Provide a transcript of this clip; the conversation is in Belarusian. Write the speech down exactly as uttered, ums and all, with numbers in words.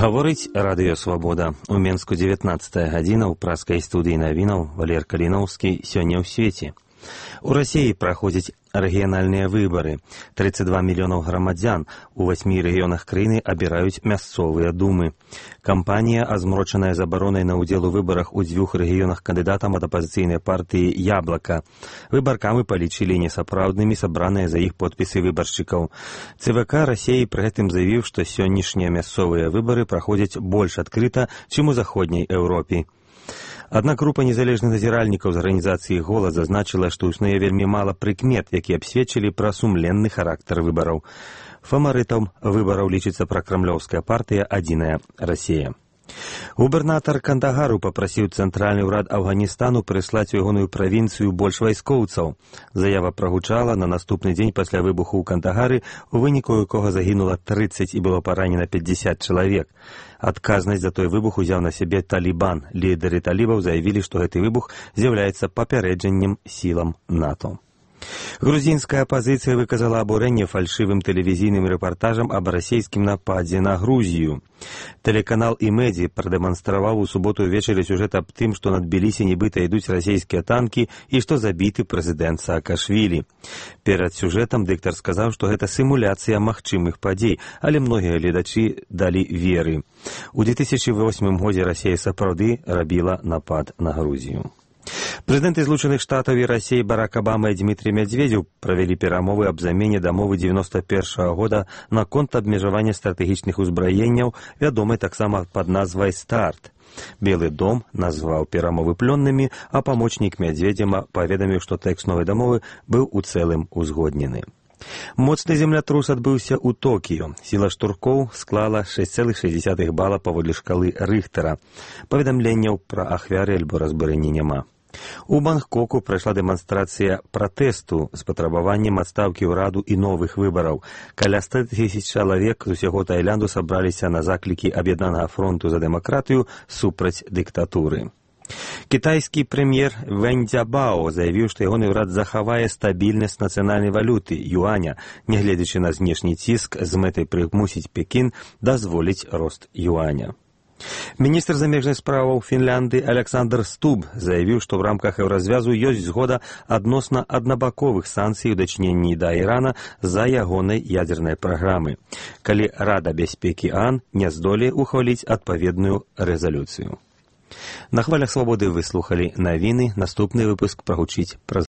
Гаворыць радыё «Свабода». У Менску дзевятнаццатая гадзіна, ў праскай студыі навінаў Валер Каліноўскі сёння ў свеце. У Расіі праходзяць рэгіянальныя выбары. тридцать два мільёнаў грамадзян у васьмі рэгіёнах краіны абіраюць мясцовыя думы. Кампанія, азмрочаная забаронай на ўдзел у выбарах у дзвюх рэгіёнах кандыдатам ад апазіцыйнай партыі «Яблака». Выбаркамі палічылі несапраўднымі сабраныя за іх подпісы выбаршчыкаў. ЦВК Расіі пры гэтым заявіў, што сённяшнія мясцовыя выбары праходзяць больш адкрыта, чым у заходняй Еўропе. Аднак група незалежных назіральнікаў з арганізацыі «Голас» зазначыла, што існуе вельмі мала прыкмет, якія б сведчылі пра сумленны характар выбараў. Фаварытам выбараў лічыцца пракрамлёўская партыя «Адзіная Расія». Губернатар Кандагару папрасіў цэнтральны ўрад Афганістану прыслаць у ягоную правінцыю больш вайскоўцаў. Заява прагучала на наступны дзень пасля выбуху ў Кандагары, у выніку якога загінула тридцать і было паранена пятьдесят чалавек. Адказнасць за той выбух узяў на сябе Талібан. Лідары талібаў заявілі, што гэты выбух з'яўляецца папярэджаннем сілам НАТО. Грузінская апазіцыя выказала абурэнне фальшывым тэлевізійным рэпартажам аб расійскім нападзе на Грузію. Тэлеканал «Имеди» прадэманстраваў у суботу ўвечары сюжэт аб тым, што над Тбілісі нібыта ідуць расійскія танкі і што забіты прэзідэнт Саакашвілі. Перад сюжэтам дыктар сказаў, што гэта сімуляцыя магчымых падзей, але многія гледачы далі веры. У две тысячи восьмым годзе Расія сапраўды рабіла напад на Грузію. Прэзідэнты Злучаных Штатаў і Расіі Барак Абама і Дмітрый Медведзеў правялі перамовы аб замене дамовы дзевяносто першага года наконт абмежавання стратэгічных узбраенняў, вядомай таксама пад назвай «Старт». Белы дом назваў перамовы плённымі, а памочнік Медведзева паведаміў, што тэкст новай дамовы быў у цэлым узгоднены. Моцны землятрус адбыўся ў Токіё. Сіла штуркоў склала шесть цэлых шесть десятых бала паводле шкалы Рыхтера. Паведамленняў пра ахвяры альбо разбурэнні няма. У Бангкоку прайшла дэманстрацыя пратэсту з патрабаваннем адстаўкі ўраду і новых выбараў. Каля ста тысяч чалавек з усяго Таілянду сабраліся на заклікі Аб'яднанага фронту за дэмакратыю супраць дыктатуры. Кітайскі прэм'ер Вэнь Цзябао заявіў, што ягоны ўрад захавае стабільнасць нацыянальнай валюты, юаня, нягледзячы на знешні ціск з мэтай прымусіць Пекін дазволіць рост юаня. Міністр замежных справаў Фінляндыі Александр Стуб заявіў, што ў рамках еўразвязу ёсць згода адносна аднабаковых санкцый у дачыненні да Ірана за ягонай ядзернай праграмы, калі Рада бяспекі ААН не здолее ухваліць адпаведную рэзалюцыю. На хвалях свабоды вы слухалі навіны, наступны выпуск прагучыць праз